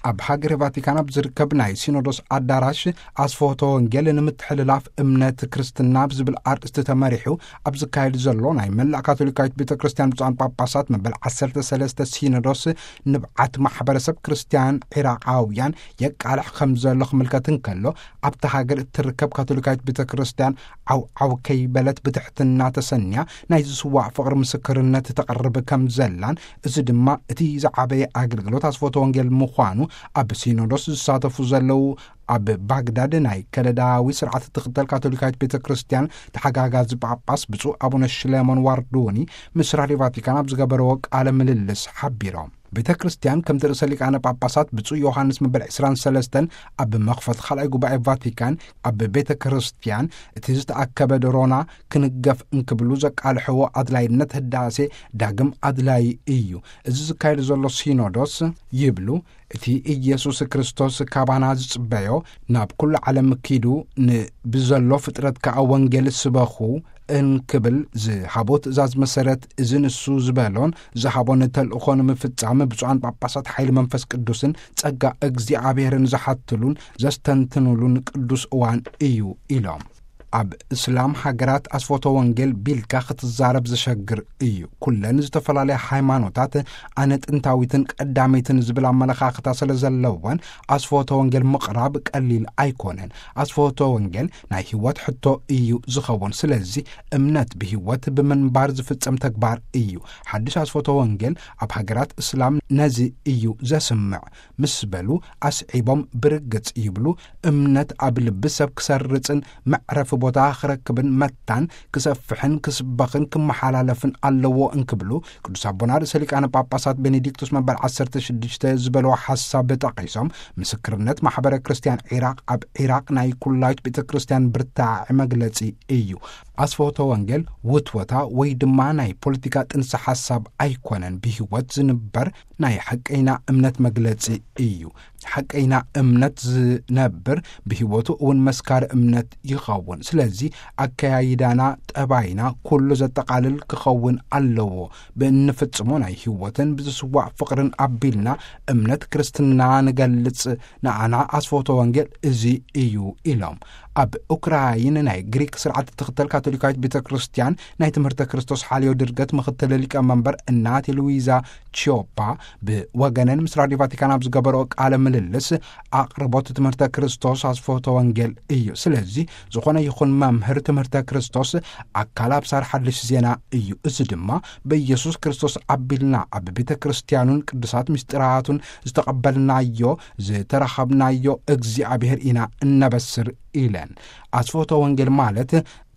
ኣብ ሃገረ ቫቲካን ኣብ ዝርከብ ናይ ሲኖዶስ ኣዳራሽ ኣስፍሆተ ወንጌል ንምትሕልላፍ እምነት ክርስትና ብዝብል ኣርእስቲ ተመሪሑ ኣብ ዝካየድ ዘሎ ናይ መላእ ካቶሊካዊት ቤተ ክርስቲያን ብፁዓን ጳጳሳት መበል ዓሰርተ ሰለስተ ሲኖዶስ ንብዓት ማሕበረሰብ ክርስቲያን ዒራቃውያን የቃልሕ ከም ዘሎ ክምልከት እንከሎ፣ ኣብታ ሃገር እትርከብ ካቶሊካዊት ቤተ ክርስቲያን ዓው ዓው ከይበለት ብትሕትና ተሰንያ ናይ ዝስዋዕ ፍቕሪ ምስክርነት ተቕርብ ከም ዘላን፣ እዚ ድማ እቲ ዝዓበየ ኣገልግሎት ኣስፍሆተ ወንጌል ምዃኑ ኣብ ሲኖዶስ ዝሳተፉ ዘለዉ ኣብ ባግዳድ ናይ ከለዳዊ ስርዓት እትኽተል ካቶሊካዊት ቤተ ክርስቲያን ተሓጋጋዚ ጳጳስ ብፁዕ ኣቡነ ሽሌሞን ዋርዱኒ ምስ ራድዮ ቫቲካን ኣብ ዝገበረዎ ቃለ ምልልስ ሓቢሮም። ቤተ ክርስቲያን ከምቲ ርእሰ ሊቃነ ጳጳሳት ብፁዕ ዮሃንስ መበል ዕስራን ሰለስተን ኣብ መኽፈት ካልኣይ ጉባኤ ቫቲካን ኣብ ቤተ ክርስቲያን እቲ ዝተኣከበ ድሮና ክንገፍ እንክብሉ ዘቃልሕዎ ኣድላይነት ህዳሴ ዳግም ኣድላዪ እዩ። እዚ ዝካየድ ዘሎ ሲኖዶስ ይብሉ፣ እቲ ኢየሱስ ክርስቶስ ካባና ዝጽበዮ ናብ ኩሉ ዓለም ኪዱ ንብዘሎ ፍጥረት ከኣ ወንጌል ስበኹ እንክብል ዝሃቦ ትእዛዝ መሰረት እዚ ንሱ ዝበሎን ዝሃቦን ተልእኾ ንምፍጻም ብፁዓን ጳጳሳት ሓይሊ መንፈስ ቅዱስን ጸጋ እግዚኣብሔርን ዝሓትሉን ዘስተንትኑሉን ቅዱስ እዋን እዩ ኢሎም። ኣብ እስላም ሃገራት ኣስፎቶ ወንጌል ቢልካ ክትዛረብ ዘሸግር እዩ። ኩለን ዝተፈላለያ ሃይማኖታት ኣነ ጥንታዊትን ቀዳመይትን ዝብል ኣመለኻኽታ ስለ ዘለወን ኣስፎቶ ወንጌል ምቕራብ ቀሊል ኣይኮነን። ኣስፎቶ ወንጌል ናይ ህይወት ሕቶ እዩ ዝኸውን። ስለዚ እምነት ብህይወት ብምንባር ዝፍጸም ተግባር እዩ። ሓድሽ ኣስፎቶ ወንጌል ኣብ ሃገራት እስላም ነዚ እዩ ዘስምዕ ምስ በሉ ኣስዒቦም ብርግጽ ይብሉ፣ እምነት ኣብ ልቢ ሰብ ክሰርጽን መዕረፊ ቦታ ክረክብን መታን ክሰፍሕን ክስበኽን ክመሓላለፍን ኣለዎ እንክብሉ ቅዱስ ኣቦና ርእሰ ሊቃነ ጳጳሳት ቤኔዲክቱስ መበል ዓሰርተ ሽዱሽተ ዝበልዎ ሓሳብ ጠቒሶም፣ ምስክርነት ማሕበረ ክርስቲያን ዒራቕ ኣብ ዒራቕ ናይ ኩላይት ቤተ ክርስቲያን ብርታዐ መግለጺ እዩ። ኣስፎቶ ወንጌል ውትወታ ወይ ድማ ናይ ፖለቲካ ጥንሰ ሓሳብ ኣይኮነን። ብህይወት ዝንበር ናይ ሓቀይና እምነት መግለጺ እዩ። ሓቀይና እምነት ዝነብር ብህይወቱ እውን መስካሪ እምነት ይኸውን። ስለዚ ኣከያይዳና፣ ጠባይና ኩሉ ዘጠቓልል ክኸውን ኣለዎ። ብእንፍጽሞ ናይ ህይወትን ብዝስዋዕ ፍቕርን ኣቢልና እምነት ክርስትና ንገልጽ። ንኣና ኣስፎቶ ወንጌል እዚ እዩ ኢሎም። ኣብ ኡክራይን ናይ ግሪክ ስርዓት እትኽተል ካቶሊካዊት ቤተ ክርስቲያን ናይ ትምህርተ ክርስቶስ ሓልዮ ድርገት ምኽትል ሊቀ መንበር እናቴ ሉዊዛ ቺዮፓ ብወገነን ምስ ራዲዮ ቫቲካን ኣብ ዝገበረኦ ቃለ ምልልስ፣ ኣቕርቦት ትምህርተ ክርስቶስ ኣስፎቶ ወንጌል እዩ። ስለዚ ዝኾነ ይኹን መምህር ትምህርተ ክርስቶስ ኣካል ኣብሳር ሓድሽ ዜና እዩ። እዚ ድማ ብኢየሱስ ክርስቶስ ኣቢልና ኣብ ቤተ ክርስቲያኑን ቅዱሳት ምስጢራቱን ዝተቐበልናዮ ዝተረኸብናዮ እግዚኣብሔር ኢና እነበስር ኢለን። ኣስፎቶ ወንጌል ማለት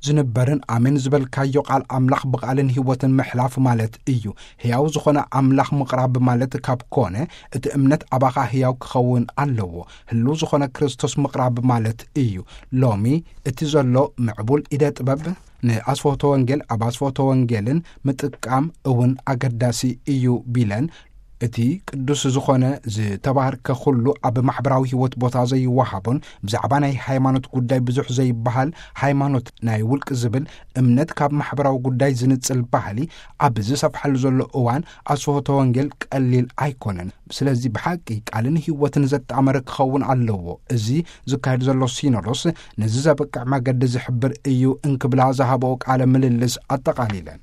ዝንበርን ኣሜን ዝበልካዮ ቃል ኣምላኽ ብቓልን ህይወትን ምሕላፍ ማለት እዩ። ሕያው ዝኾነ ኣምላኽ ምቕራብ ማለት ካብ ኮነ፣ እቲ እምነት ኣባኻ ሕያው ክኸውን ኣለዎ። ህልው ዝኾነ ክርስቶስ ምቕራብ ማለት እዩ። ሎሚ እቲ ዘሎ ምዕቡል ኢደ ጥበብ ንኣስፎቶ ወንጌል ኣብ ኣስፎቶ ወንጌልን ምጥቃም እውን ኣገዳሲ እዩ ቢለን፣ እቲ ቅዱስ ዝኾነ ዝተባህርከ ኩሉ ኣብ ማሕበራዊ ህይወት ቦታ ዘይወሃቦን ብዛዕባ ናይ ሃይማኖት ጉዳይ ብዙሕ ዘይበሃል፣ ሃይማኖት ናይ ውልቂ ዝብል እምነት ካብ ማሕበራዊ ጉዳይ ዝንጽል ባህሊ ኣብ ዝሰፍሓሉ ዘሎ እዋን ኣስፍሆተ ወንጌል ቀሊል ኣይኮነን። ስለዚ ብሓቂ ቃልን ህይወትን ዘጣመረ ክኸውን ኣለዎ። እዚ ዝካየድ ዘሎ ሲኖዶስ ነዚ ዘበቅዕ መገዲ ዝሕብር እዩ እንክብላ ዝሃበኦ ቃለ ምልልስ ኣጠቓሊለን።